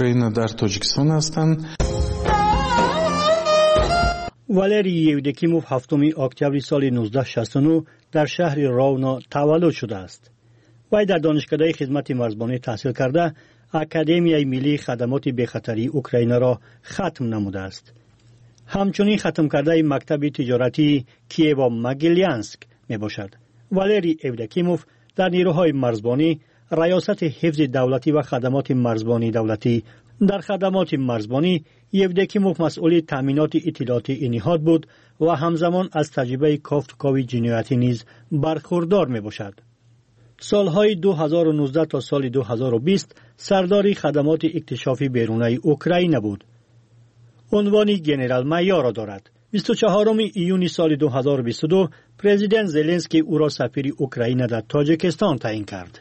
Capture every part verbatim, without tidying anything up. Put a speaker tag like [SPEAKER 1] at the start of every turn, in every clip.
[SPEAKER 1] Украина дар Тоҷикистон ҳастанд.
[SPEAKER 2] Валерий Евдокимов ҳафтуми октябри соли нуздаҳ шасту нӯҳ дар шаҳри Ровно таваллуд шудааст. Вай дар донишкадаи хизмати марзбонӣ таҳсил карда, Академияи миллии хадамоти бехатарии Украинаро хатм намудааст. Ҳамчунин хатмкардаи мактаби тиҷоратии Киево-Могилянск мебошад. Валерий Евдокимов дар нерӯҳои марзбонӣ, раёсати ҳифзи давлатӣ ва хадамоти марзбонии давлатӣ. Дар хадамоти марзбонӣ Евдокимов масъули таъминоти иттилоотии ин ниҳод буд ва ҳамзамон аз таҷрибаи кофтукови ҷиноятӣ низ бархурдор мебошад. Солҳои ду ҳазору нуздаҳ то соли ду ҳазору бист сардори хадамоти иктишофи берунаи Украина буд. Унвони генерал-майорро дорад. Бисту чаҳоруми июни соли ду ҳазору бисту ду президент Зеленский ӯро сафири Украина дар Тоҷикистон таъин кард.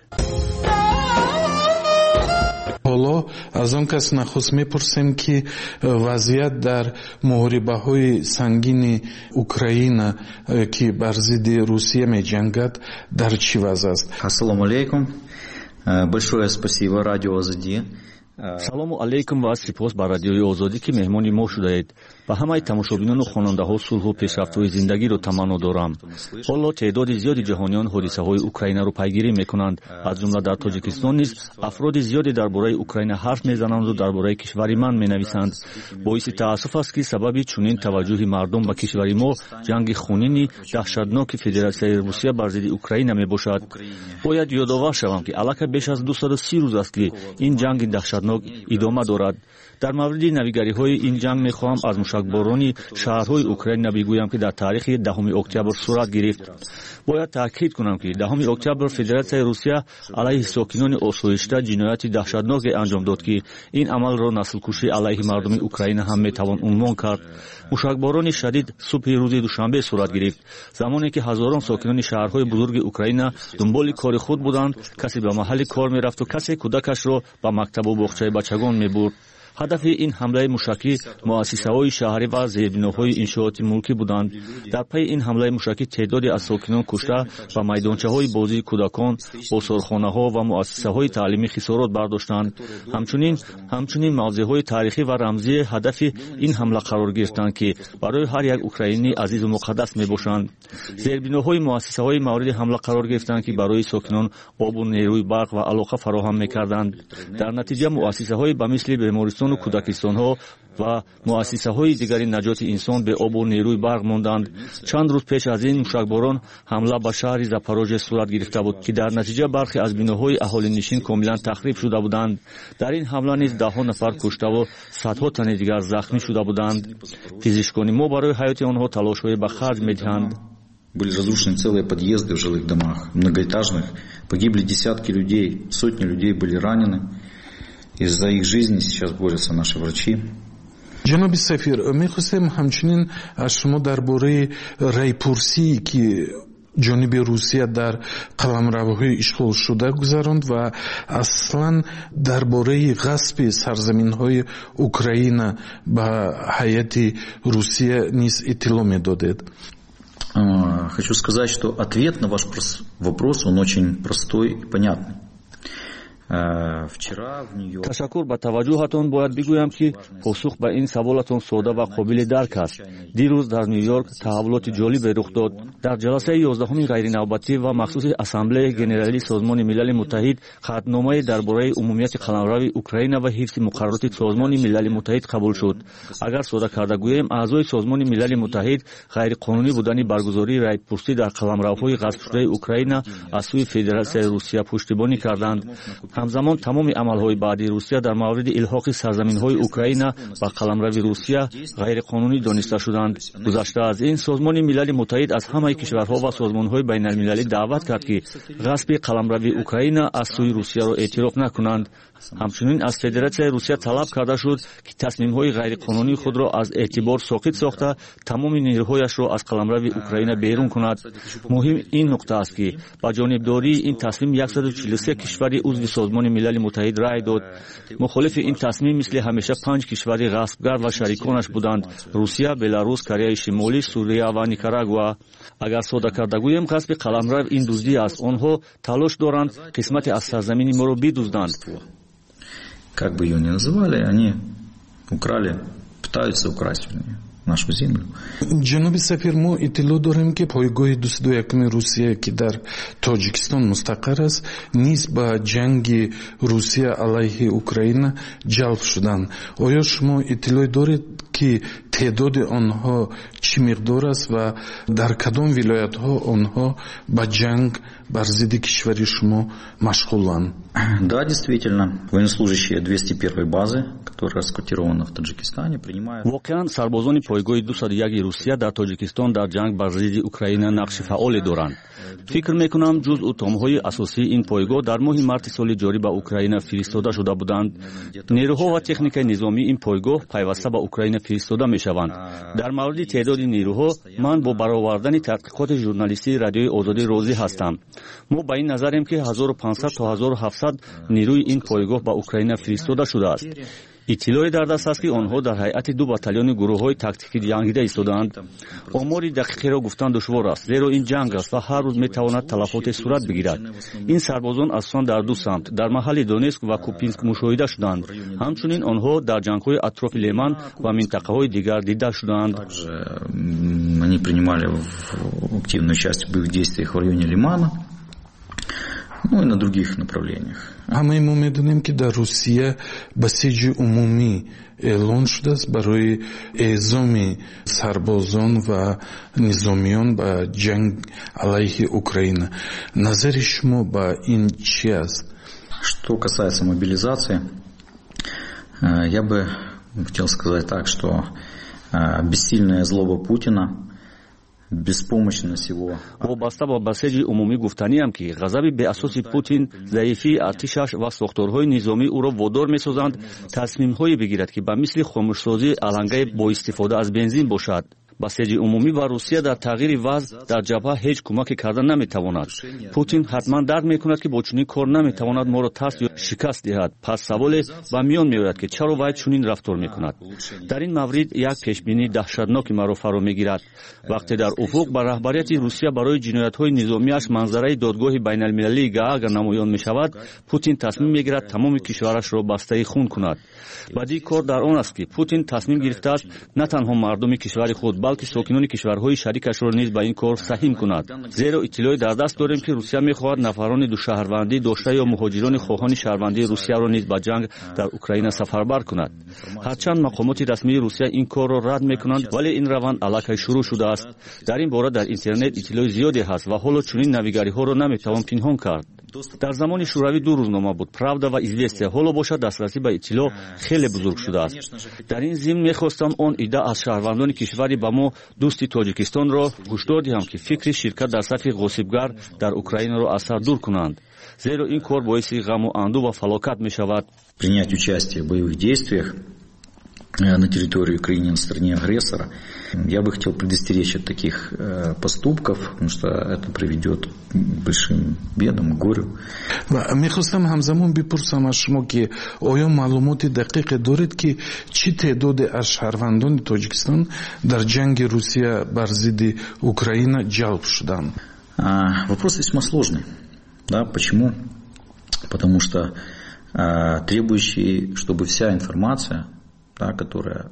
[SPEAKER 1] Ҳоло аз он кас нахуст мепурсем, ки вазъият дар муҳорибаҳои сангини Украина, ки бар зидди Русия меҷангад, дар чӣ вазъ аст?
[SPEAKER 3] Ассалому алайкум. Большое спасибо радио Озоди.
[SPEAKER 4] Салому алайкум ва сипос ба радиои Озодӣ, ки меҳмони мо шудаед. Ба ҳамаи тамошобинону хонандаҳо сулҳу пешрафтҳои зиндагиро таманно дорам. Ҳоло теъдоди зиёди ҷаҳониён ҳодисаҳои Украинаро пайгирӣ мекунанд. Аз ҷумла дар Тоҷикистон низ афроди зиёде дар бораи Украина ҳарф мезананду дар бораи кишвари ман менависанд. Боиси таассуф аст, ки сабаби чунин таваҷҷӯҳи мардум ба кишвари мо ҷанги хунини даҳшатноки Федератсияи Русия бар зидди Украина мебошад. Бояд ёдовар шавам, ки аллакай беш аз дусаду си рӯз аст, ки ин ҷанги даҳшатнок идома дорад. Дар мавриди навигариҳои ин ҷанг мехоҳам аз мушакборони шаҳрҳои Украина бигӯям, ки дар таърихи даҳуми октябр сурат гирифт. Бояд таъкид кунам, ки даҳуми октябр Федератсияи Русия алайҳи сокинони осоишта ҷинояти даҳшатноке анҷом дод, ки ин амалро наслкушӣ алайҳи мардуми Украина ҳам метавон унвон кард. Мушакборони шадид субҳи рӯзи душанбе сурат гирифт, замоне ки ҳазорон сокинони шаҳрҳои бузурги Украина дунболи кори худ буданд. Касе ба маҳалли кор мерафту касе кӯдакашро ба мактабу боғчаи бачагон мебурд. Ҳадафи ин ҳамлаи мушакӣ муассисаҳои шаҳрӣ ва зербиноҳои иншооти мулкӣ буданд. Дар пайи ин ҳамлаи мушакӣ теъдоде аз сокинон кушта ва майдончаҳои бозии кӯдакон, осорхонаҳо ва муассисаҳои таълимӣ хисорот бардоштанд. Ҳамчунин, ҳамчунин мавзеъҳои таърихӣ ва рамзии ҳадафи ин ҳамла қарор гирифтанд, ки барои ҳар як украинӣ азизу муқаддас мебошанд. Зербиноҳои муассисаҳои мавриди ҳамла қарор гирифтанд, ки барои сокинон обу нерӯи барқ ва алоқа фароҳам мекарданд. Дар натиҷа муассисаҳои ба мисли бемористон ва кӯдакистонҳо ва муассисаҳои дигари наҷоти инсон бе обу нерӯи барқ монданд. Чанд рӯз пеш аз ин мушакборон ҳамла ба шаҳри Запорожье сурат гирифта буд, ки дар натиҷа бархе аз биноҳои аҳолинишин комилан тахриб шуда буданд. Дар ин ҳамла низ даҳҳо нафар куштаву садҳо тани дигар захмӣ шуда буданд. Пизишкони мо барои ҳаёти онҳо талошҳое ба харҷ медиҳанд.
[SPEAKER 3] Были разрушены целые подъезды в жилых домах, многоэтажных. Погибли десятки людей, сотни людей были ранены. И за их жизни сейчас борются наши врачи.
[SPEAKER 1] Ҷаноби сафир, мехостем ҳамчунин аз шумо дар бораи райпурсие, ки ҷониби Русия дар қаламравҳои ишғолшуда гузаронд ва аслан дар бораи ғасби сарзаминҳои Украина ба ҳайати Русия низ иттилоъ медодед.
[SPEAKER 3] Хочу сказать, что ответ на ваш вопрос, он очень простой и понятный.
[SPEAKER 4] Ташаккур ба таваҷҷӯҳатон. Бояд бигӯям, ки посух ба ин саволатон сода ва қобили дарк аст. Дирӯз дар Ню-Йорк таҳаввулоти ҷолибе рух дод. Дар ҷаласаи ёздаҳуми ғайринавбатӣ ва махсуси Ассамблеяи Генералии Созмони Милали Муттаҳид қатъномае дар бораи умумияти қаламрави Украина ва ҳифзи муқаррароти Созмони Милали Муттаҳид қабул шуд. Агар сода карда гӯем, аъзои Созмони Милали Муттаҳид ғайриқонунӣ будани баргузории райпурсӣ дар қаламравҳои ғасбшудаи Украина аз сӯи Федератсияи Русия пуштибонӣ карданд. Ҳамзамон тамоми амалҳои баъдии Русия дар мавриди илҳоқи сарзаминҳои Украина ба қаламрави Русия ғайриқонунӣ дониста шуданд. Гузашта аз ин, Созмони Милали Муттаҳид аз ҳамаи кишварҳо ва созмонҳои байналмилалӣ даъват кард, ки ғасби қаламрави Украина аз сӯи Русияро эътироф накунанд. Ҳамчунин аз Федератсияи Русия талаб карда шуд, ки тасмимҳои ғайриқонунии худро аз эътибор соқит сохта, тамоми нерӯҳояшро аз қаламрави Украина берун кунад. Муҳим ин нуқта аст, ки ба ҷонибдории ин тасмим яксаду чилу се кишвари узви Созмони Милали Муттаҳид рай дод. Мухолифи ин тасмим мисли ҳамеша панҷ кишвари ғасбгар ва шариконаш буданд: Русия, Беларус, Кореяи Шимолӣ, Сурия ва Никарагуа. Агар сода карда гӯем, ғасби қаламрав ин дуздӣ аст. Онҳо талош доранд қисмате аз сарзамини моро бидузданд.
[SPEAKER 3] Как бы ее ни называли, они украли, пытаются украсть, вернее, нашу землю.
[SPEAKER 1] Ҷаноби сафир, мо иттилоъ дорем, ки пойгоҳи дусаду якуми Русия, ки дар Тоҷикистон мустақар аст, низ ба ҷанги Русия алайҳи Украина ҷалб шуданд. Оё шумо иттилоъ доред, ки теъдоди онҳо чӣ миқдор аст ва дар кадом вилоятҳо онҳо ба ҷанг бар зидди кишвари шумо машғуланд?
[SPEAKER 3] Да, действительно, военнослужащие двести первой базы, которая расквартирована в Таджикистане, принимают.
[SPEAKER 4] Воқеан, сарбозони пойгоҳи дусаду яки Русия дар Тоҷикистон дар ҷанг бар зидди Украина нақши фаъоле доранд. Фикр мекунам, ҷузъу томҳои асосии ин пойгоҳ дар моҳи марти соли ҷорӣ ба Украина фиристода шуда буданд. Нерӯҳо ва техникаи низомии ин пойгоҳ пайваста ба Украина фиристода мешаванд. Дар мавриди теъдоди нерӯҳо ман бо баровардани таҳқиқоти журналистии Радиои Озодӣ розӣ ҳастам. Мо ба ин назарем, ки ҳазору панҷсад то ҳазору ҳафтсад нерӯи ин пойгоҳ ба Украина фиристода шудааст. Иттилоъе дар даст аст, ки онҳо дар ҳайати ду батальони гурӯҳҳои тактикӣ ҷангида истодаанд. Омори дақиқеро гуфтан душвор аст, зеро ин ҷанг аст ва ҳар рӯз метавонад талафоте сурат бигирад. Ин сарбозон асосан дар ду самт, дар маҳалли Донетск ва Купянск, мушоҳида шуданд. Ҳамчунин онҳо дар ҷангҳои атрофи Лиман ва минтақаҳои дигар дида шудаанд.
[SPEAKER 3] Они принимали активное участие в боевых действиях в районе Лимана, ну и на других направлениях.
[SPEAKER 1] Ҳамаи мо медонем, ки дар Русия басиҷи умумӣ эълон шудааст барои эъзоми сарбозон ва низомиён ба ҷанг алайҳи Украина. Назари шумо ба ин чӣ аст?
[SPEAKER 3] Что касается мобилизации, э, я бы хотел сказать так, что э, бессильная злоба Путина, беспомощность его.
[SPEAKER 4] Вобаста ба басеҷи умумӣ гуфтаниам, ки ғазаби беасоси Путин, заифии артишаш ва сохторҳои низомӣ ӯро водор месозанд тасмимҳое бигирад, ки ба мисли хомӯшсозии алангаи бо истифода аз бензин бошад. Басеҷи умумӣ ба Русия дар тағйири вазъ дар ҷабҳа ҳеҷ кӯмаке карда наметавонад. Путин ҳатман дарк мекунад, ки бо чунин кор наметавонад моро тарс ё шикаст диҳад. Пас саволе ба миён меояд, ки чаро вай чунин рафтор мекунад. Дар ин маврид як пешбинии даҳшатноки маро фаро мегирад. Вақте дар уфуқ ба раҳбарияти Русия барои ҷиноятҳои низомиаш манзараи Додгоҳи байналмилалии Гаага намоён мешавад, Путин тасмим мегирад тамоми кишварашро бастаи хун кунад. Бадии кор дар он аст, ки Путин тасмим гирифтааст на танҳо мардуми кишвари худ, балки сокинони кишварҳои шарикашро низ ба ин кор саҳим кунад, зеро иттилоъе дар даст дорем, ки Русия мехоҳад нафарони душаҳрвандӣ дошта ё муҳоҷирони хоҳони шаҳрвандии Русияро низ ба ҷанг дар Украина сафарбар кунад. Ҳарчанд мақомоти расмии Русия ин корро рад мекунанд, вале ин раванд аллакай шурӯъ шудааст. Дар ин бора дар интернет иттилои зиёде ҳаст ва ҳоло чунин навигариҳоро наметавон пинҳон кард. Дар замони Шӯравӣ ду рӯзнома буд: Правда ва Известия. Ҳоло бошад, дастрасӣ ба иттилоъ хеле бузург шудааст. Дар ин зимн мехостам он идда аз шаҳрвандони кишвари ба мо дӯсти Тоҷикистонро ҳушдор диҳам, ки фикри ширкат дар сафи ғосибгар дар Украинаро аз сар дур кунанд, зеро ин кор боиси ғаму андӯ ва фалокат мешавад.
[SPEAKER 3] Принять участие в боевых действиях э, на территории Украины на стороне агрессора. Я бы хотел предостеречь от таких э, поступков, потому что это приведет к большим бедам, к горю.
[SPEAKER 1] Ва мехостам ҳамзамон бипурсам аз шумо, ки оё маълумоти дақиқе доред, ки чӣ теъдоде аз шаҳрвандони Тоҷикистон дар ҷанги Русия бар зидди Украина ҷалб шуданд?
[SPEAKER 3] Вопрос весьма сложный. Да, почему? Потому что а, требующий, чтобы вся информация, да, которая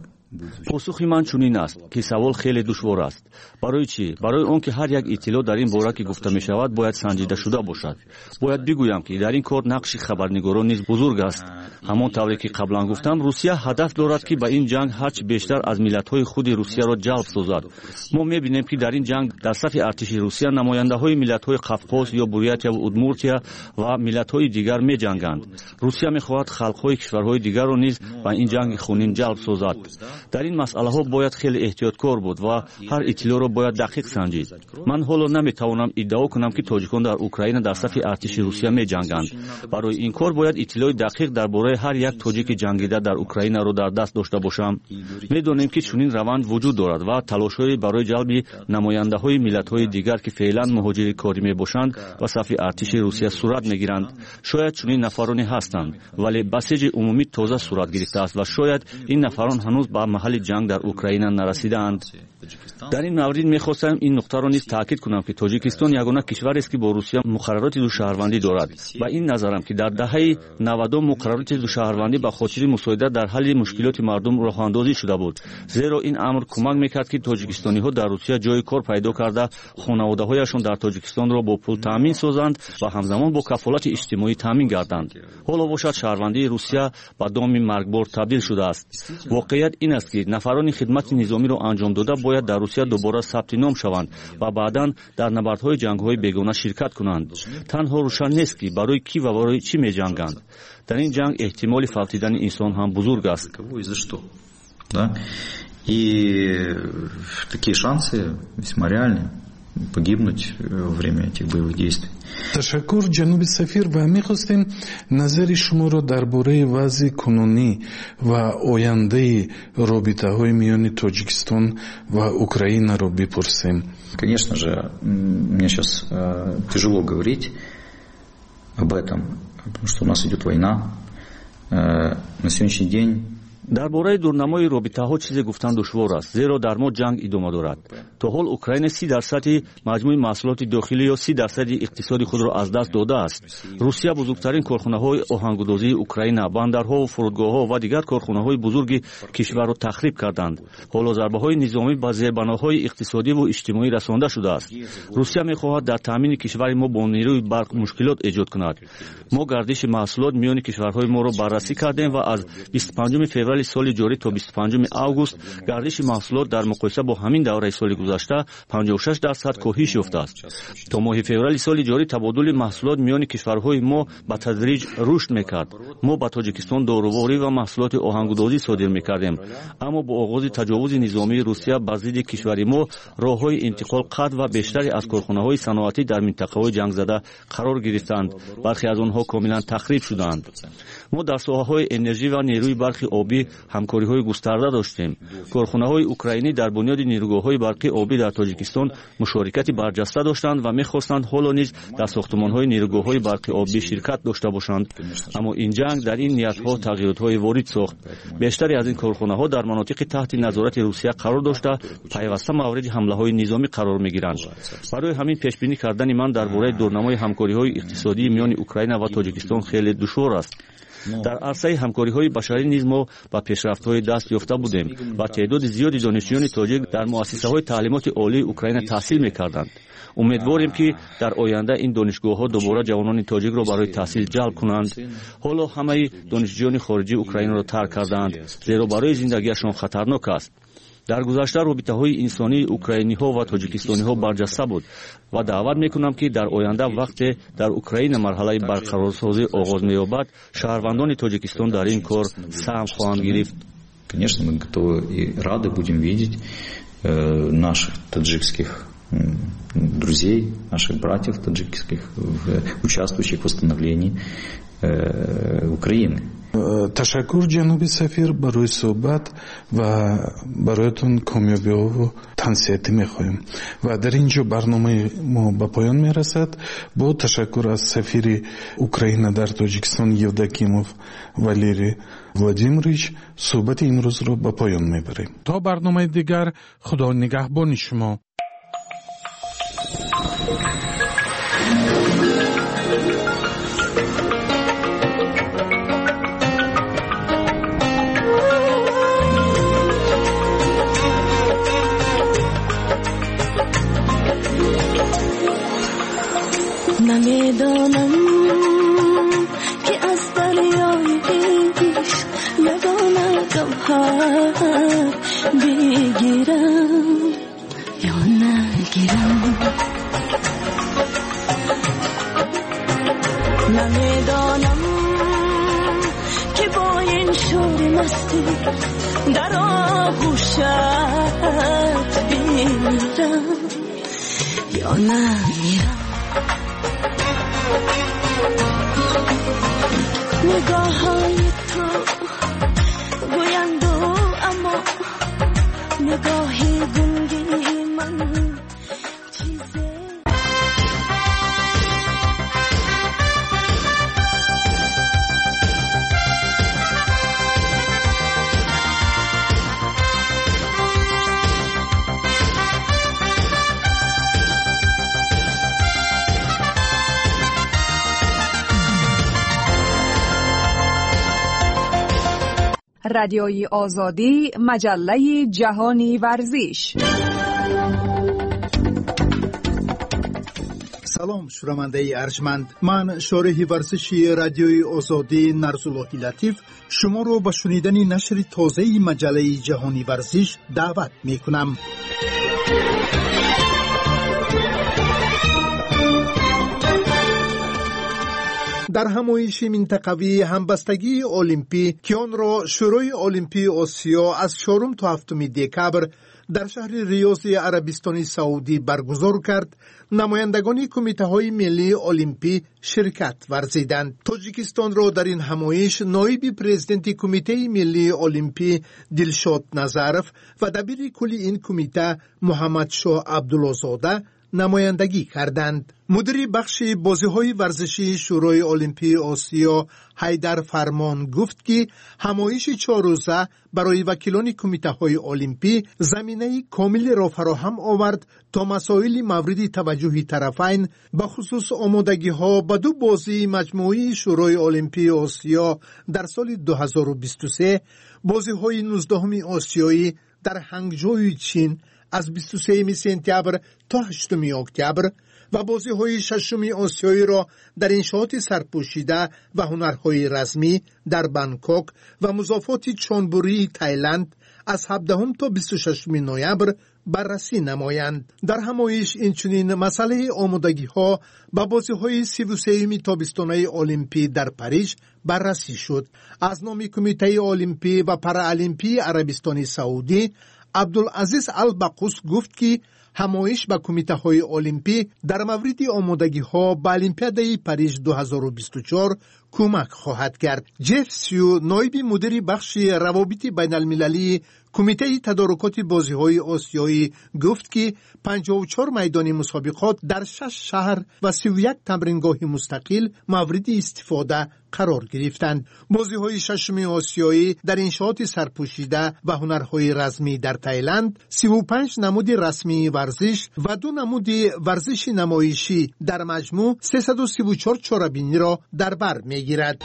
[SPEAKER 4] Посухи ман чунин аст, ки савол хеле душвор аст. Барои чӣ? Барои он ки ҳар як иттилоъ дар ин бора, ки гуфта мешавад, бояд санҷида шуда бошад. Бояд бигӯям, ки дар ин кор нақши хабарнигорон низ бузург аст. Ҳамон тавре ки қаблан гуфтам, Русия ҳадаф дорад, ки ба ин ҷанг ҳарчи бештар аз миллатҳои худи Русияро ҷалб созад. Мо мебинем, ки дар ин ҷанг дар сафи артиши Русия намояндаҳои миллатҳои Қавқоз ё Бурятияву Удмуртия ва миллатҳои дигар меҷанганд. Русия мехоҳад халқҳои кишварҳои дигарро низ ба ин ҷанги хунин ҷалб созад. Дар ин масъалаҳо бояд хеле эҳтиёткор буд ва ҳар иттилоъро бояд дақиқ санҷид. Ман ҳоло наметавонам иддао кунам, ки тоҷикон дар Украина дар сафи артиши Русия меҷанганд. Барои ин кор бояд иттилои дақиқ дар бораи ҳар як тоҷики ҷангида дар Украинаро дар даст дошта бошам. Медонем, ки чунин раванд вуҷуд дорад ва талошҳое барои ҷалби намояндаҳои миллатҳои дигар, ки феълан муҳоҷири корӣ мебошанд, ба сафи артиши Русия сурат мегиранд. Шояд чунин нафароне ҳастанд, вале басеҷи умумӣ тоза сурат гирифтааст ва шояд ин нафарон ҳанӯз ба маҳалли ҷанг дар Украина нарасидаанд. Дар ин маврид мехостам ин нуқтаро низ таъкид кунам, ки Тоҷикистон ягона кишварест, ки бо Русия муқаррароти душаҳрвандӣ дорад. Ба ин назарам, ки дар даҳаи навадум муқаррароти душаҳрвандӣ ба хотири мусоидат дар ҳалли мушкилоти мардум роҳандозӣ шуда буд, зеро ин амр кӯмак мекард, ки тоҷикистониҳо дар Русия ҷои кор пайдо карда, хонаводаҳояшон дар Тоҷикистонро бо пул таъмин созанд ва ҳамзамон бо кафолати иҷтимоӣ таъмин гарданд. Ҳоло бошад, шаҳрвандии Русия ба доми маргбор табдил шудааст. Воқеият ин аст, ки нафарони хидмати низомиро анҷом дода бояд дар Русия дубора сабти ном шаванд ва баъдан дар набардҳои ҷангҳои бегона ширкат кунанд. Танҳо рӯшан нест, ки барои кӣ ва барои чӣ меҷанганд. Дар ин ҷанг эҳтимоли фавтидани инсон ҳам бузург аст.
[SPEAKER 3] И такие шансы весьма реальны погибнуть во время этих боевых действий.
[SPEAKER 1] Ташаккур, ҷаноби сафир, ва мехостем назари шуморо дар бораи вазъи кунунӣ ва ояндаи робитаҳои миёни Тоҷикистон ва Украинаро бипурсем.
[SPEAKER 3] Конечно же, мне сейчас тяжело говорить об этом, потому что у нас идет война. На сегодняшний день
[SPEAKER 4] Дар бораи дурнамои робитаҳо чизе гуфтан душвор аст, зеро дар мо ҷанг идома дорад. То ҳол Украина си дарсади маҷмӯи маҳсулоти дохилӣ ё си дарсади иқтисоди худро аз даст додааст. Русия бузургтарин корхонаҳои оҳангудозии Украина, бандарҳову фурудгоҳҳо ва дигар корхонаҳои бузурги кишварро тахриб карданд. Ҳоло зарбаҳои низомӣ ба зербаноҳои иқтисодиву иҷтимоӣ расонда шудааст. Русия мехоҳад дар таъмини кишвари мо бо нерӯи барқ мушкилот эҷод кунад. Мо гардиши маҳсулот миёни кишварҳои моро баррасӣ кардем ва аз бисту панҷуми феврали соли ҷорӣ то бисту панҷуми август гардиши маҳсулот дар муқоиса бо ҳамин давраи соли гузашта панҷоҳу шаш дарсад коҳиш ёфтааст. То моҳи феврали соли ҷорӣ табодули маҳсулот миёни кишварҳои мо ба тадриҷ рушд мекард. Мо ба Тоҷикистон доруворӣ ва маҳсулоти оҳангудозӣ содир мекардем, аммо бо оғози таҷовузи низомии Русия ба зидди кишвари мо роҳҳои интиқол қатъ ва бештаре аз корхонаҳои саноатӣ дар минтақаҳои ҷангзада қарор гирифтанд. Бархе аз онҳо комилан тахриб шуданд. Мо дар соҳаҳои энержӣ ва нерӯи барқи обӣ ҳамкориҳои густарда доштем. Корхонаҳои украинӣ дар бунёди нерӯгоҳҳои барқи обӣ дар Тоҷикистон мушорикати барҷаста доштанд ва мехостанд ҳоло низ дар сохтмонҳои нерӯгоҳҳои барқи обӣ ширкат дошта бошанд. Аммо ин ҷанг дар ин ниятҳо тағйиротҳое ворид сохт. Бештаре аз ин корхонаҳо дар манотиқи таҳти назорати Русия қарор дошта, пайваста мавриди ҳамлаҳои низомӣ қарор мегиранд. Барои ҳамин пешбинӣ кардани ман дар бораи дурнамои ҳамкориҳои иқтисодии миёни Украина ва Тоҷикистон хеле душвор аст. Дар арсаи ҳамкориҳои башарӣ низ мо ба пешрафтҳои даст ёфта будем ва теъдоди зиёди донишҷӯёни тоҷик дар муассисаҳои таълимоти олии Украина таҳсил мекарданд. Умедворем, ки дар оянда ин донишгоҳҳо дубора ҷавонони тоҷикро барои таҳсил ҷалб кунанд. Ҳоло ҳамаи донишҷӯёни хориҷӣ Украинаро тарк кардаанд, зеро барои зиндагиашон хатарнок аст. Дар гузашта робитаҳои инсонии украиниҳо ва тоҷикистониҳо барҷаста буд ва даъват мекунам, ки дар оянда вақте дар Украина марҳалаи барқарорсозӣ оғоз меёбад, шаҳрвандони Тоҷикистон дар ин кор саҳм хоҳанд гирифт.
[SPEAKER 3] Конечно, мы готовы и рады будем видеть наших таджикских друзей, наших братьев таджикских, участвующих в восстановлении Украины.
[SPEAKER 1] Ташаккур, ҷаноби сафир, барои суҳбат ва бароятон комёбиҳову тансиҳатӣ мехоҳем. Ва дар ин ҷо барномаи мо ба поён мерасад. Бо ташаккур аз сафири Украина дар Тоҷикистон Евдокимов Валерий Владимирович суҳбати имрӯзро ба поён мебарем. То барномаи дигар, Худо нигаҳбони шумо.
[SPEAKER 5] نمیدانم که از دریای عشق یگانه گوهر بگیرم یا نگیرم. نمیدانم که با این شور مستی در آغوشت بمیرم یا نمیرم. نگاه های تو گویند اما نگاه گنگی من چیزه.
[SPEAKER 6] Радиои Озодӣ, маҷаллаи ҷаҳони варзиш.
[SPEAKER 7] Салом, шунавандаи арҷманд. Ман шореҳи варзиши Радиои Озодӣ Нарзуллоҳи Латиф шуморо ба шунидани нашри тозаи маҷаллаи ҷаҳони варзиш даъват мекунам. Дар ҳамоиши минтақавии ҳамбастагии олимпӣ, ки онро Шӯрои Олимпии Осиё аз чорум то ҳафтуми декабр дар шаҳри Риёзи Арабистони Саудӣ баргузор кард, намояндагони кумитаҳои миллии олимпӣ ширкат варзиданд. Тоҷикистонро дар ин ҳамоиш ноиби президенти Кумитаи миллии олимпӣ Дилшод Назаров ва дабири кулли ин кумита Муҳаммадшоҳ Абдуллозода намояндагӣ карданд. Мудири бахши бозиҳои варзишии Шӯрои Олимпии Осиё Ҳайдар Фармон гуфт, ки ҳамоиши чоррӯза барои вакилони кумитаҳои олимпӣ заминаи комилеро фароҳам овард то масоили мавриди таваҷҷӯҳи тарафайн, бахусус омодагиҳо ба ду бозии маҷмӯии Шӯрои Олимпии Осиё дар соли ду ҳазору бисту се, бозиҳои нуздаҳуми осиёӣ дар Ҳангҷои Чин аз бисту сеюми сентябр то ҳаштуми октябр ва бозиҳои шашуми осиёиро дар иншооти сарпӯшида ва ҳунарҳои размӣ дар Бангкок ва музофоти Чонбурии Тайланд аз ҳабдаҳум то бисту шашуми ноябр баррасӣ намоянд. Дар ҳамоиш инчунин масъалаи омодагиҳо ба бозиҳои сиву сеюми тобистонаи олимпӣ дар Париж баррасӣ шуд. Аз номи Кумитаи олимпӣ ва параолимпии Арабистони Саудӣ Абдулазиз Албақус гуфт, ки ҳамоиш ба кумитаҳои олимпӣ дар мавриди омодагиҳо ба Олимпиадаи Париж ду ҳазору бисту чор кӯмак хоҳад кард. Ҷеф Сю, ноиби мудири бахши равобити байналмилалии Кумитаи тадорукоти бозиҳои осиёӣ гуфт, ки панҷоҳу чор майдони мусобиқот дар шаш шаҳр ва сиву як тамрингоҳи мустақил мавриди истифода қарор гирифтанд. Бозиҳои шашуми осиёӣ дар иншооти сарпӯшида ва ҳунарҳои размӣ дар Тайланд сиву панҷ намуди расмии варзиш ва ду намуди варзиши намоишӣ дар маҷмӯъ сесаду сиву чор чорабиниро дар бар мегирад.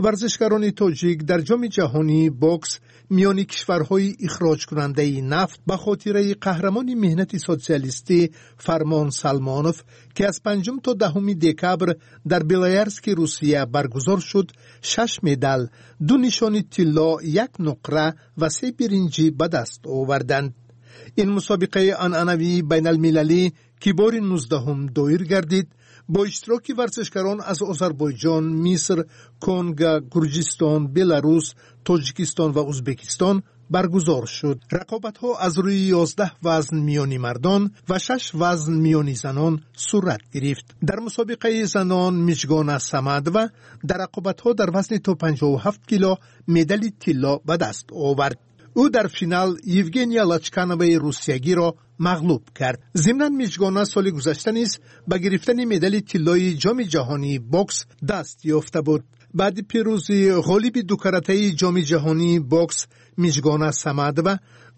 [SPEAKER 7] Варзишгарони тоҷик дар ҷоми ҷаҳонии бокс миёни кишварҳои ихроҷкунандаи нафт ба хотираи қаҳрамони меҳнати социалистӣ Фармон Салмонов, ки аз панҷум то даҳуми декабр дар Белоярски Русия баргузор шуд, шаш медал, ду нишони тилло, як нуқра ва се биринҷӣ ба даст оварданд. Ин мусобиқаи анъанавии байналмилалӣ, ки бори нуздаҳум доир гардид, бо иштироки варзишгарон аз Озарбойҷон, Миср, Конго, Гурҷистон, Беларус, Тоҷикистон ва Узбекистон баргузор шуд. Рақобатҳо аз рӯи ёздаҳ вазн миёни мардон ва шаш вазн миёни занон сурат гирифт. Дар мусобиқаи занон Миҷгона Самадова дар рақобатҳо дар вазни то панҷоҳу ҳафт кило медали тилло ба даст овард. Ӯ дар финал Евгения Лачкановаи русиягиро мағлуб кард. Зимнан Миҷгона соли гузашта низ ба гирифтани медали тиллои ҷоми ҷаҳонии бокс даст ёфта буд. Баъди пирӯзии ғолиби дукаратаи ҷоми ҷаҳонии бокс Миҷгона Самадова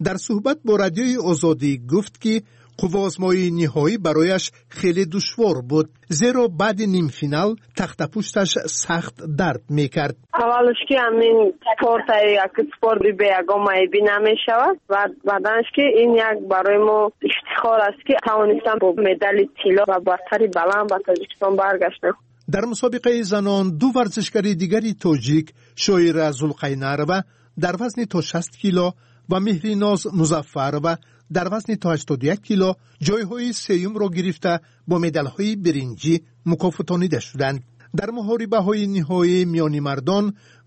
[SPEAKER 7] дар суҳбат бо Радиои Озодӣ гуфт, ки қувваозмоии ниҳоӣ барояш хеле душвор буд, зеро баъди нимфинал тахтапушташ сахт дард мекард.
[SPEAKER 8] Аввалш ки ҳамин спорта як спорти беягон майбӣ намешавад ва баъданш ки ин як барои мо ифтихор аст, ки тавонистам бо медали тилло ва бартари баланд ба Тоҷикистон баргаштам.
[SPEAKER 7] Дар мусобиқаи занон ду варзишгари дигари тоҷик Шоира Зулқайнарова дар вазни то шаст кило ва Меҳриноз Музаффарова дар вазни то ҳаштоду як кило ҷойҳои сеюмро гирифта бо медалҳои биринҷӣ мукофотонида шуданд. Дар муҳорибаҳои ниҳоӣ миёни мардон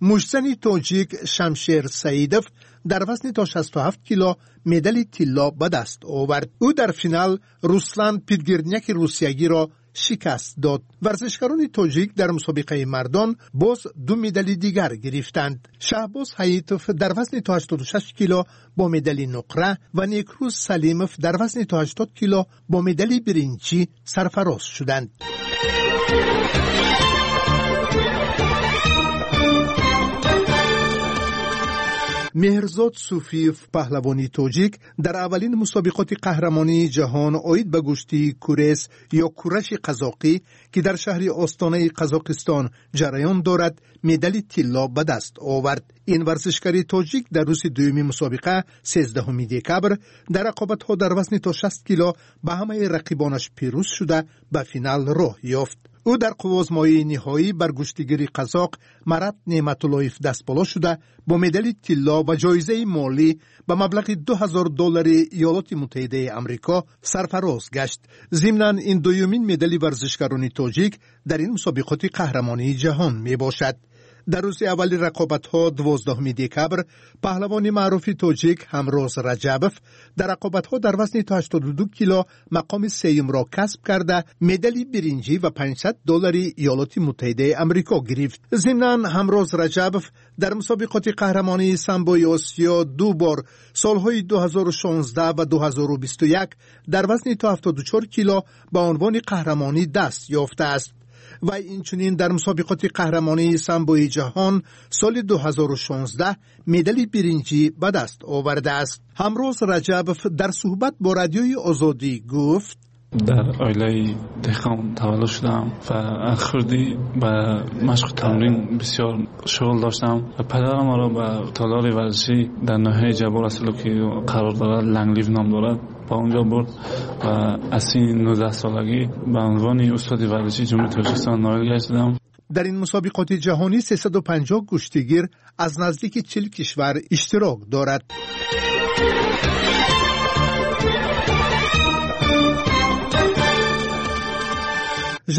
[SPEAKER 7] муштзани тоҷик Шамшер Саидов дар вазни то шасту ҳафт кило медали тилло ба даст овард. Ӯ дар финал Руслан Питгирняки русиягиро шикаст дод. Варзишгарони тоҷик дар мусобиқаи мардон боз ду медали дигар гирифтанд. Шаҳбоз Ҳаитов дар вазни то ҳаштоду шаш кило бо медали нуқра ва Некрӯз Салимов дар вазни то ҳаштод кило бо медали биринҷӣ сарфароз шуданд. Меҳрзод Суфиев, паҳлавони тоҷик, дар аввалин мусобиқоти қаҳрамонии ҷаҳон оид ба гӯштии курес ё кураши қазоқӣ, ки дар шаҳри Остонаи Қазоқистон ҷараён дорад, медали тилло ба даст овард. Ин варзишгари тоҷик дар рӯзи дуюми мусобиқа, сездаҳуми декабр, дар рақобатҳо дар вазни то шаст кило ба ҳамаи рақибонаш пирӯз шуда ба финал роҳ ёфт. Ӯ дар қуввозмоии ниҳоӣ бар гӯштигири қазоқ Марат Неъматуллоев дастболо шуда бо медали тилло ва ҷоизаи молӣ ба маблағи ду ҳазор доллари Иёлоти Муттаҳидаи Амрико сарфароз гашт. Зимнан ин дуюмин медали варзишгарони тоҷик дар ин мусобиқоти қаҳрамонии ҷаҳон мебошад. Дар рӯзи аввали рақобатҳо, дувоздаҳуми декабр, паҳлавони маъруфи тоҷик Ҳамроз Раҷабов дар рақобатҳо дар вазни то ҳаштоду ду кило мақоми сеюмро касб карда медали биринҷӣ ва панҷсад доллари Иёлоти Муттаҳидаи Амрико гирифт. Зимнан Ҳамроз Раҷабов дар мусобиқоти қаҳрамонии самбои Осиё ду бор солҳои ду ҳазору шонздаҳ ва ду ҳазору бисту як дар вазни то ҳафтоду чор кило ба унвони қаҳрамонӣ даст ёфтааст. Ва инчунин дар мусобиқоти қаҳрамонии самбои ҷаҳон соли ду ҳазору шонздаҳ медали биринҷӣ ба даст овардааст. Ҳамроз Раҷабов дар суҳбат бо Радиои Озодӣ гуфт:
[SPEAKER 9] дар оилаи деҳқон таваллуд шудам ва аз хурдӣ ба машқу тамрин бисёр шуғл доштам ва падарам маро ба толори варзишӣ дар ноҳияи Ҷаббор Расулов, ки қарор дорад, Ланглив ном дорад, ба онҷо бурд ва аз синни нуздаҳсолагӣ ба унвони устоди варзиши Ҷумҳурии Тоҷикистон ноил гаштам.
[SPEAKER 7] Дар ин мусобиқоти ҷаҳонӣ сесаду панҷоҳ гӯштигир аз наздики чил кишвар иштирок дорад.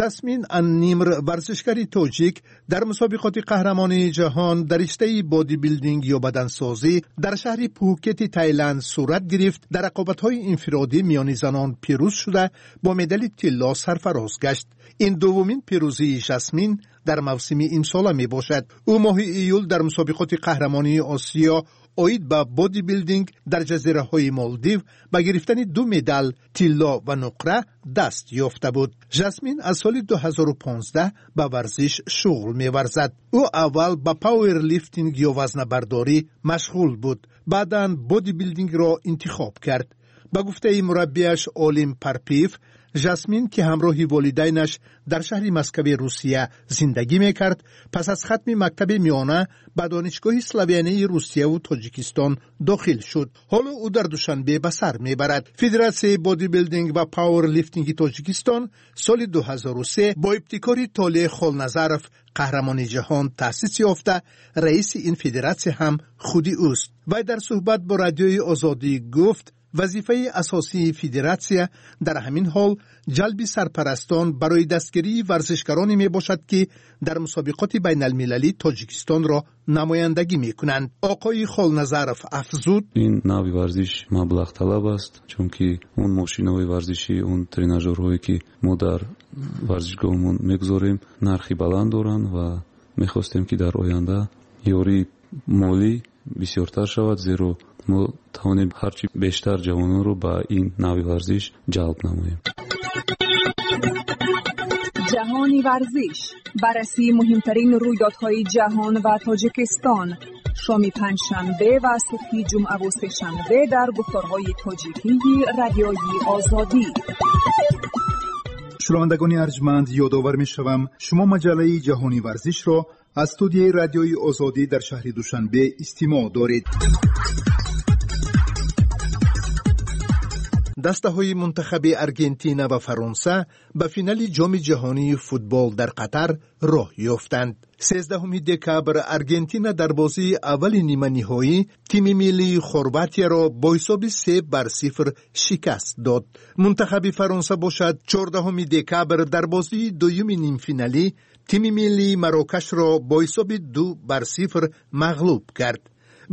[SPEAKER 7] Жасмин Аннимр, варзишгари тоҷик, дар мусобиқоти қаҳрамонии ҷаҳон дар риштаи бодибилдинг ё бадансозӣ дар шаҳри Пхукети Тайланд сурат гирифт, дар рақобатҳои инфиродӣ миёни занон пирӯз шуда бо медали тилло сарфароз гашт. Ин дуввумин пирӯзии Жасмин дар мавсими имсола мебошад. Ӯ моҳи июл дар мусобиқоти қаҳрамонии Осиё оид ба бодибилдинг дар ҷазираҳои Молдив ба гирифтани ду медал тилло ва нуқра даст ёфта буд. Жасмин аз соли ду ҳазору понздаҳ ба варзиш шуғл меварзад. Ӯ аввал ба пауэрлифтинг ё вазнабардорӣ машғул буд, баъдан бодибилдингро интихоб кард. Ба гуфтаи мураббияш Олим Парпиев, Жасмин, ки ҳамроҳи волидайнаш дар шаҳри Москави Русия зиндагӣ мекард, пас аз хатми мактаби миёна ба Донишгоҳи славянии Русияву Тоҷикистон дохил шуд. Ҳоло ӯ дар Душанбе ба сар мебарад. Федератсияи бодибилдинг ва пауэрлифтинги Тоҷикистон соли ду ҳазору се бо ибтикори Толеъ Холназаров, қаҳрамони ҷаҳон, таъсис ёфта, раиси ин федератсия ҳам худи ӯст. Вай дар суҳбат бо Радиои Озодӣ гуфт: вазифаи асосии федератсия дар ҳамин ҳол ҷалби сарпарастон барои дастгирии варзишгароне мебошад, ки дар мусобиқоти байналмилалӣ Тоҷикистонро намояндагӣ мекунанд. Оқои Холназаров афзуд:
[SPEAKER 10] ин навъи варзиш маблағталаб аст, чунки он мошинаҳои варзишӣ, он тренажерҳое ки мо дар варзишгоҳмон мегузорем, нархи баланд доранд ва мехостем, ки дар оянда ёрии молӣ бисёртар шавад, зеро мо тавонем ҳарчи бештар ҷавононро ба ин навъи варзиш ҷалб намоем.
[SPEAKER 6] Ҷаҳони варзиш, баррасии муҳимтарин рӯйдодҳои ҷаҳон ва Тоҷикистон, шоми панҷшанбе ва субҳи ҷумъаву сешанбе дар гуфторҳои тоҷикии Радиои Озодӣ.
[SPEAKER 7] Шунавандагони арҷманд, ёдовар мешавам, шумо маҷаллаи Ҷаҳони варзишро аз студияи Радиои Озодӣ дар шаҳри Душанбе истимоъ доред. Дастаҳои мунтахаби Аргентина ва Фаронса ба финали Ҷоми ҷаҳонии футбол дар Қатар роҳ ёфтанд. Сездаҳуми декабр Аргентина дар бозии аввали ниманиҳоӣ тими миллии Хорватияро бо ҳисоби се бар сифр шикаст дод. Мунтахаби Фаронса бошад, чордаҳуми декабр дар бозии дуюми нимфиналӣ тими миллии Марокашро бо ҳисоби ду бар сифр мағлуб кард.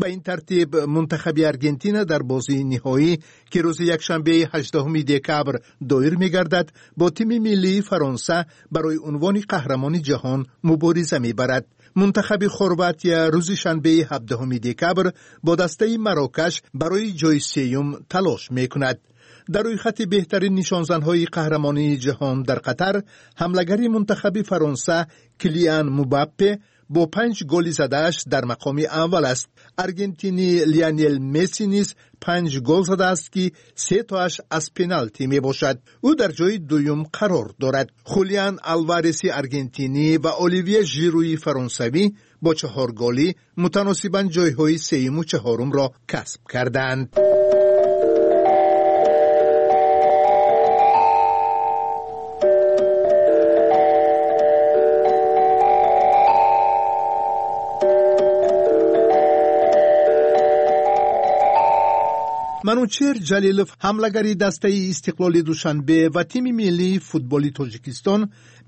[SPEAKER 7] Ба ин тартиб мунтахаби Аргентина дар бозии ниҳоӣ, ки рӯзи якшанбеи ҳаждаҳуми декабр доир мегардад, бо тими миллии Фаронса барои унвони қаҳрамони ҷаҳон мубориза мебарад. Мунтахаби Хорватия рӯзи шанбеи ҳабдаҳуми декабр бо дастаи Марокаш барои ҷои сеюм талош мекунад. Дар рӯйхати беҳтарин нишонзанҳои қаҳрамонии ҷаҳон дар Қатар, ҳамлагари мунтахаби Фаронса Килиан Мбаппе бо панҷ голи задааш дар мақоми аввал аст. Аргентини Лионел Месси низ панҷ гол задааст, ки се тоаш аз пеналти мебошад. Ӯ дар ҷои дуюм қарор дорад. Хулиан Алвареси аргентинӣ ва Оливье Жируи фаронсавӣ бо чаҳор голӣ мутаносибан ҷойҳои сеюму чаҳорумро касб кардаанд. Манучеҳр Ҷалилов, ҳамлагари дастаи Истиқлоли Душанбе ва тими миллии футболи Тоҷикистон,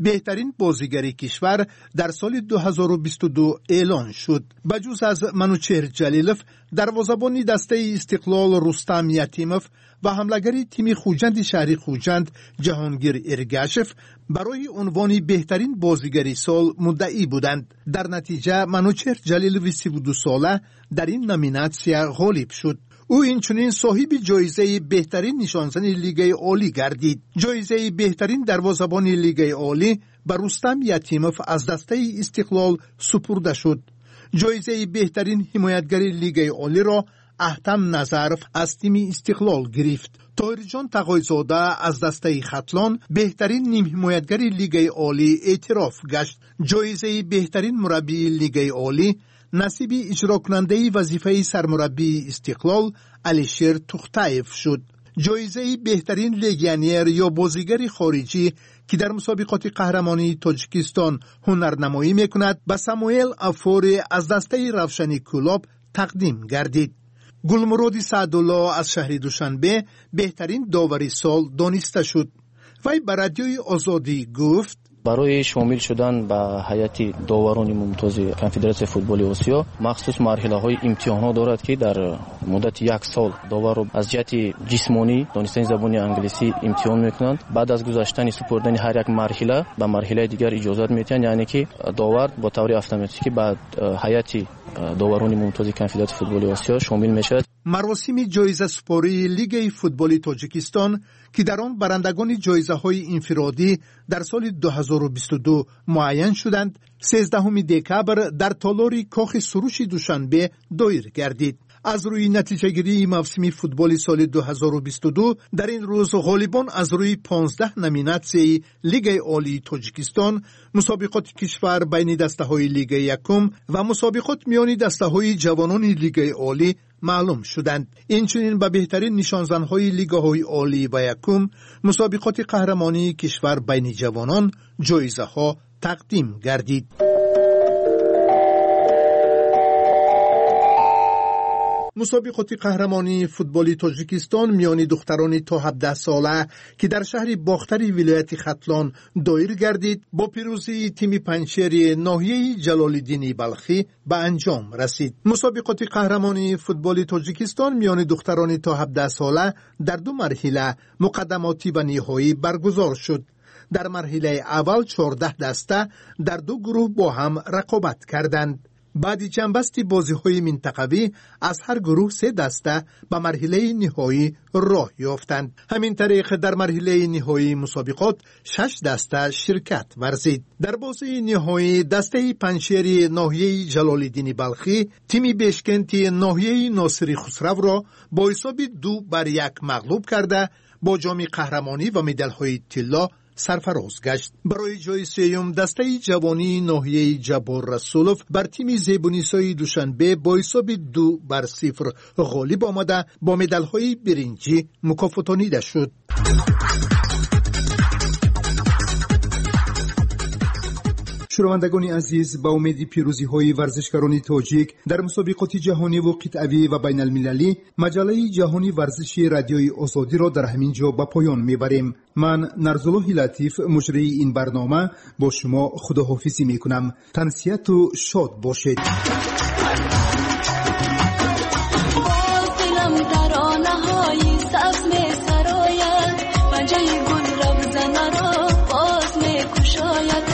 [SPEAKER 7] беҳтарин бозигари кишвар дар соли ду ҳазору бисту ду эълон шуд. Ба ҷуз аз Манучеҳр Ҷалилов, дарвозабони дастаи Истиқлол Рустам Ятимов ва ҳамлагари тими Хуҷанди шаҳри Хуҷанд Ҷаҳонгир Эргашев барои унвони беҳтарин бозигари сол муддаӣ буданд. Дар натиҷа Манучеҳр Ҷалилови сиву дусола дар ин номинатсия ғолиб шуд. Ӯ инчунин соҳиби ҷоизаи беҳтарин нишонзани Лигаи Олӣ гардид. Ҷоизаи беҳтарин дарвозабони Лигаи Олӣ ба Рустам Ятимов аз дастаи Истиқлол супурда шуд. Ҷоизаи беҳтарин ҳимоятгари Лигаи Олиро Аҳтам Назаров аз тими Истиқлол гирифт. Тоҳирҷон Тағойзода аз дастаи Хатлон беҳтарин нимҳимоятгари Лигаи Олӣ эътироф гашт. Ҷоизаи беҳтарин мураббии Лигаи Олӣ насиби иҷрокунандаи вазифаи сармураббии Истиқлол Алишер Тухтаев шуд. Ҷоизаи беҳтарин легионер ё бозигари хориҷӣ, ки дар мусобиқоти қаҳрамонии Тоҷикистон ҳунарнамоӣ мекунад, ба Самуэл Афоре аз дастаи Равшани Кӯлоб тақдим гардид. Гулмуроди Саъдулло аз шаҳри Душанбе беҳтарин довари сол дониста шуд. Вай ба Радиои Озодӣ гуфт:
[SPEAKER 11] барои шомил шудан ба ҳайати доварони мумтози Конфедератсияи футболи Осиё махсус марҳилаҳои имтиҳонҳо дорад, ки дар муддати як сол доварро аз ҷиҳати ҷисмонӣ, донистани забони англисӣ имтиҳон мекунанд. Баъд аз гузаштани супурдани ҳар як марҳила ба марҳилаи дигар иҷозат медиҳанд, яъне ки довар бо таври автоматикӣ ба ҳайати доварони мумтози Конфедератсияи футболи Осиё шомил мешавад.
[SPEAKER 7] Маросими ҷоизасупории Лигаи футболи Тоҷикистон, ки дар он барандагони ҷоизаҳои инфиродӣ дар соли ду ҳазору бисту ду муайян шуданд, сездаҳуми декабр дар толори Кохи Суруши Душанбе доир гардид. Аз рӯи натиҷагирии мавсими футболи соли ду ҳазору бисту ду дар ин рӯз ғолибон аз рӯи понздаҳ номинатсияи Лигаи Олии Тоҷикистон, мусобиқоти кишвар байни дастаҳои Лигаи якум ва мусобиқот миёни дастаҳои ҷавонони Лигаи Олӣ маълум шуданд. Инчунин ба беҳтарин нишонзанҳои лигаҳои олӣ ва якум, мусобиқоти қаҳрамонии кишвар байни ҷавонон ҷоизаҳо тақдим гардид. Мусобиқоти қаҳрамонии футболи Тоҷикистон миёни духтарони то ҳабдаҳ сола, ки дар шаҳри Бохтари вилояти Хатлон доир гардид, бо пирӯзии тими Панҷшери ноҳияи Ҷалолиддини Балхӣ ба анҷом расид. Мусобиқоти қаҳрамонии футболи Тоҷикистон миёни духтарони то ҳабдаҳ сола дар ду марҳила, муқаддамотӣ ва ниҳоӣ, баргузор шуд. Дар марҳилаи аввал чордаҳ даста дар ду гурӯҳ бо ҳам рақобат карданд. Баъди ҷамъбасти бозиҳои минтақавӣ аз ҳар гурӯҳ се даста ба марҳилаи ниҳоӣ роҳ ёфтанд. Ҳамин тариқ дар марҳилаи ниҳоии мусобиқот шаш даста ширкат варзид. Дар бозии ниҳоӣ дастаи Панҷшери ноҳияи Ҷалолиддини Балхӣ тими Бешкенти ноҳияи Носири Хусравро бо ҳисоби ду бар як мағлуб карда, бо ҷоми қаҳрамонӣ ва медалҳои тилло сарфароз гашт. Барои ҷои сеюм дастаи ҷавонии ноҳияи Ҷаббор Расулов бар тими Зебунисои Душанбе бо ҳисоби ду бар сифр ғолиб омада, бо медалҳои биринҷӣ мукофотонида шуд. Шунавандагони азиз, ба умеди пирӯзиҳои варзишгарони тоҷик дар мусобиқоти ҷаҳониву қитъавӣ ва байналмилалӣ, маҷаллаи ҷаҳони варзиши Радиои Озодиро дар ҳамин ҷо ба поён мебарем. Ман Нарзуллоҳи Латиф, муҷрии ин барнома, бо шумо худоҳофизӣ мекунам. Тансиҳату шод бошед.
[SPEAKER 5] Боз дилам таронаҳои сабз месарояд, панҷаи гул равзанаро боз мекушояд.